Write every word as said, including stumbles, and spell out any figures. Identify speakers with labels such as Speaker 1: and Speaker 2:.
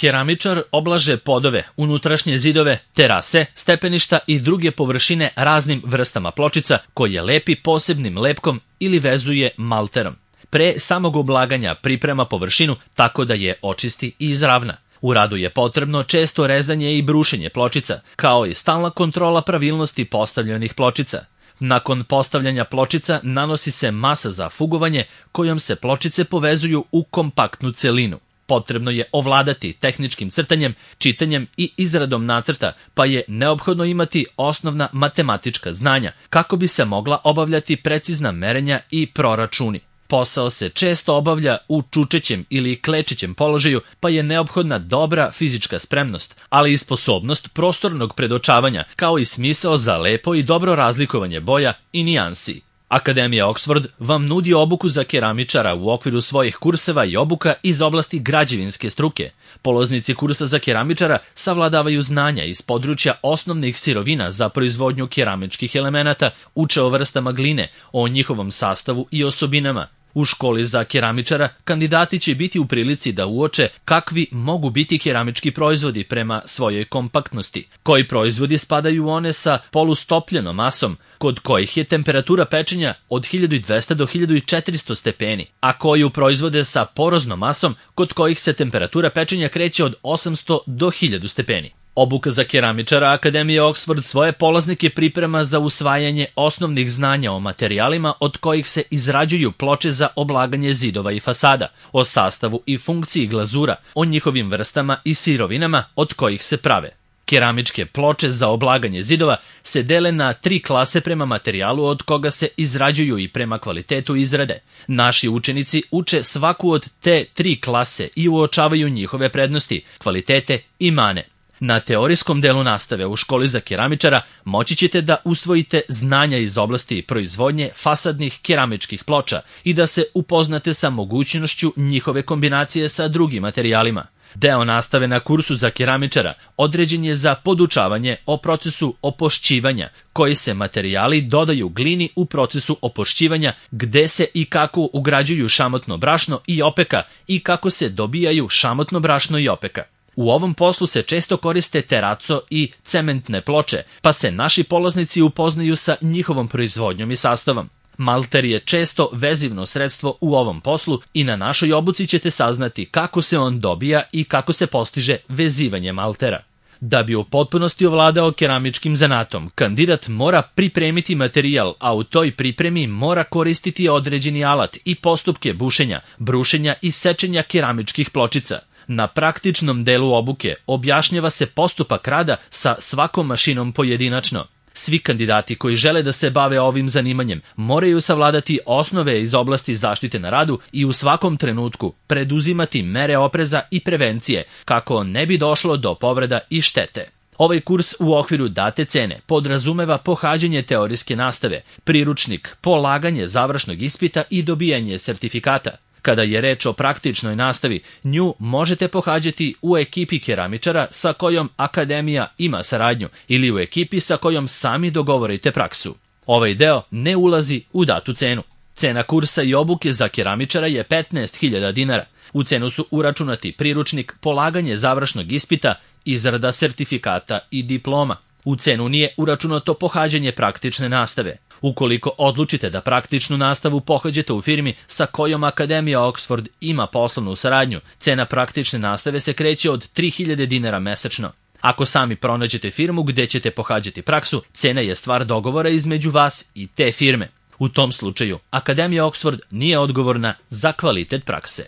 Speaker 1: keramičar oblaže podove, unutrašnje zidove, terase, stepeništa i druge površine raznim vrstama pločica koje lepi posebnim lepkom ili vezuje malterom. Pre samog oblaganja priprema površinu tako da je očisti i izravna. U radu je potrebno često rezanje i brušenje pločica, kao i stalna kontrola pravilnosti postavljenih pločica. Nakon postavljanja pločica nanosi se masa za fugovanje kojom se pločice povezuju u kompaktnu celinu. Potrebno je ovladati tehničkim crtanjem, čitanjem i izradom nacrta, pa je neophodno imati osnovna matematička znanja kako bi se mogla obavljati precizna merenja i proračuni. Posao se često obavlja u čučećem ili klečećem položaju, pa je neophodna dobra fizička spremnost, ali i sposobnost prostornog predočavanja, kao i smisao za lepo i dobro razlikovanje boja i nijansi. Akademija Oxford vam nudi obuku za keramičara u okviru svojih kurseva i obuka iz oblasti građevinske struke. Polaznici kursa za keramičara savladavaju znanja iz područja osnovnih sirovina za proizvodnju keramičkih elemenata, uče o vrstama gline, o njihovom sastavu i osobinama. U školi za keramičara kandidati će biti u prilici da uoče kakvi mogu biti keramički proizvodi prema svojoj kompaktnosti, koji proizvodi spadaju u one sa polustopljenom masom, kod kojih je temperatura pečenja od hiljadu dvesta do hiljadu četiristo stepeni, a koji proizvode sa poroznom masom, kod kojih se temperatura pečenja kreće od osamsto do hiljadu stepeni. Obuka za keramičara Akademije Oxford svoje polaznike priprema za usvajanje osnovnih znanja o materijalima od kojih se izrađuju ploče za oblaganje zidova i fasada, o sastavu i funkciji glazura, o njihovim vrstama i sirovinama od kojih se prave. Keramičke ploče za oblaganje zidova se dele na tri klase prema materijalu od koga se izrađuju i prema kvalitetu izrade. Naši učenici uče svaku od te tri klase i uočavaju njihove prednosti, kvalitete i mane. Na teorijskom delu nastave u školi za keramičara moći ćete da usvojite znanja iz oblasti proizvodnje fasadnih keramičkih ploča i da se upoznate sa mogućnošću njihove kombinacije sa drugim materijalima. Deo nastave na kursu za keramičara određen je za podučavanje o procesu opošćivanja, koji se materijali dodaju glini u procesu opošćivanja, gde se i kako ugrađuju šamotno brašno i opeka i kako se dobijaju šamotno brašno i opeka. U ovom poslu se često koriste teraco i cementne ploče, pa se naši polaznici upoznaju sa njihovom proizvodnjom i sastavom. Malter je često vezivno sredstvo u ovom poslu i na našoj obuci ćete saznati kako se on dobija i kako se postiže vezivanje maltera. Da bi u potpunosti ovladao keramičkim zanatom, kandidat mora pripremiti materijal, a u toj pripremi mora koristiti određeni alat i postupke bušenja, brušenja i sečenja keramičkih pločica. Na praktičnom delu obuke objašnjava se postupak rada sa svakom mašinom pojedinačno. Svi kandidati koji žele da se bave ovim zanimanjem moraju savladati osnove iz oblasti zaštite na radu i u svakom trenutku preduzimati mere opreza i prevencije kako ne bi došlo do povreda i štete. Ovaj kurs u okviru date cene podrazumeva pohađanje teorijske nastave, priručnik, polaganje završnog ispita i dobijanje sertifikata. Kada je reč o praktičnoj nastavi, nju možete pohađati u ekipi keramičara sa kojom Akademija ima saradnju ili u ekipi sa kojom sami dogovorite praksu. Ovaj deo ne ulazi u datu cenu. Cena kursa i obuke za keramičara je petnaest hiljada dinara. U cenu su uračunati priručnik, polaganje završnog ispita, izrada sertifikata i diploma. U cenu nije uračunato pohađanje praktične nastave. Ukoliko odlučite da praktičnu nastavu pohađate u firmi sa kojom Akademija Oxford ima poslovnu saradnju, cena praktične nastave se kreće od tri hiljade dinara mesečno. Ako sami pronađete firmu gde ćete pohađati praksu, cena je stvar dogovora između vas i te firme. U tom slučaju, Akademija Oxford nije odgovorna za kvalitet prakse.